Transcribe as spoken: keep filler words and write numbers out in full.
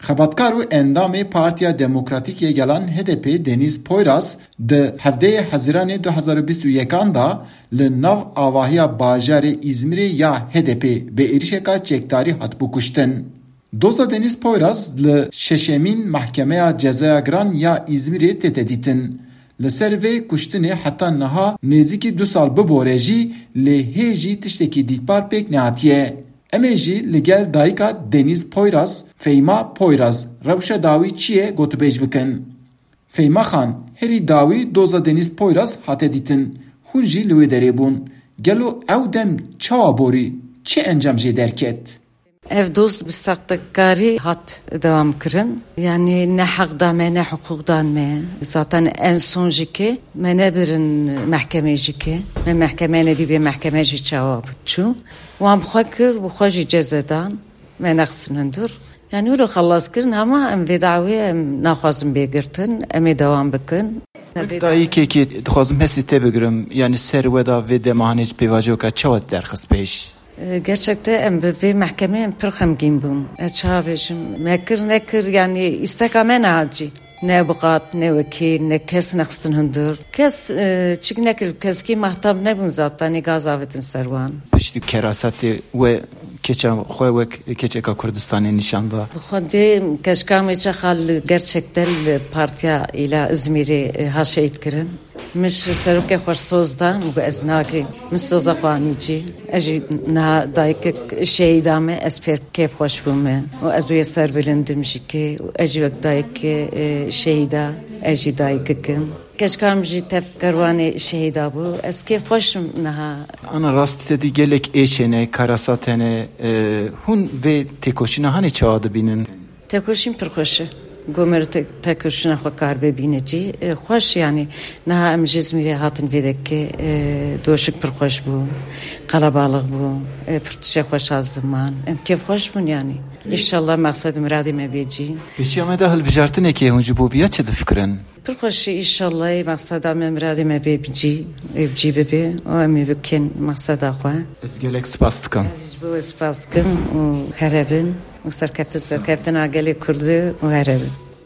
Xebatkar û endamê Partiya Demokratîk yê Gelan H D P Denîz Poyraz di hevdeyê Hezîranê du hezar û bîst û yekan de li nav avahiya bajarê Îzmîrê ya H D P bi êrişeka çekdarî hatibû kuştin. Doza Denîz Poyraz li şeşemîn Mehkemeya Cezaya Giran ya Îzmîrê tête dîtin. Li ser vê kuştinê heta niha nêzîkî du sal bibore jî lê hê jî tiştekî dîtbar pêk nehatiye. Em ê jî li gel dayika Denîz Poyraz, Feyma Poyraz, rewşa dawî çi ye gotûbêj bikin. Feyma Xan, herî dawî doza Denîz Poyraz hate dîtin. Hûn jî li wê derê bûn. Gelo ew dem çawa borî? Çi encam jê derket? Ev doz bi sextekarî hat dewam kirin. Yanî ne heq da me, ne hiqûq dan me. Zaten en son jî ke me nebirin mehkemê jî ke. Me mehkeme nedî bê mehkeme jî çawa çû. Wan bi xwe kir, bi xwe jî ceze dan. Me nexistin hundir. Yanî wilo xelas kirin, hema em vê dawê em naxwazin bê girtin. Em ê dewam bikin. Wek dayikekê dixwazim hestê te bigirim. Yanî ser we da vê dema hanê pêvajoka çawa derxist pêş? E, gerçekte em bi vê mehkemê em pir xemgîn bûn. Ez çawa bêjim? Me kir nekir, yanî îsteka me nehat cî. Ne avukat, ne wekîl, ne kes nexistin hundir. Kes, e, çik nekir, keskî mahtab nebûn zaten, ê gaz avêtin ser wan. Piştî kerasatê we keça xwe wek keçeka Kurdistanê nîşan da. Bi xwe dê keşka me çaxa li gerçekte li partiya îla Izmîrê, e, ha şehîd kirin. Min ji serokê xwe soz da, min got ez nagirîm. Min soza xwe anî cî. Ez jî niha dayikek şehîda me, ez pêr kêfxweş bûme. Û ez wê serbilind im jî kê. Û ez jî wek dayikê, e, şehîda, ez jî dayikek im. Keşka min jî tev kerwanê şehîda bû. Ez kêfxweş im niha. Ana rastî te dî gelek êş hene, karasat hene. E, hûn vê têkoşîna hanê çawa dibînin? Tekoşîn pir xweş e. Gomer te-, tekoşîna xwe kar bibîne cî. E, xweş yanî. Niha em ji Îzmîrê hatin vê dekê, e, doşik pir xweş bû. Qelebalix bû. E, pir tiştê xweş hat ziman. Em kêfxweş bûn yanî. Înşallah mexsed û miradê me bê cî. Pêşiya me de hilbijartinekê hûn ji bo viya çi difikirin? Pir xweş e, înşallah mexseda me, miradê me bê bi cî, ê bi cî bibe û em ê bikin mexseda xwe. Ez gelek spas dikim. Ez ji bo we spas dikim û here bin û serkeftin, serkeftina gelê Kurdî û here bin.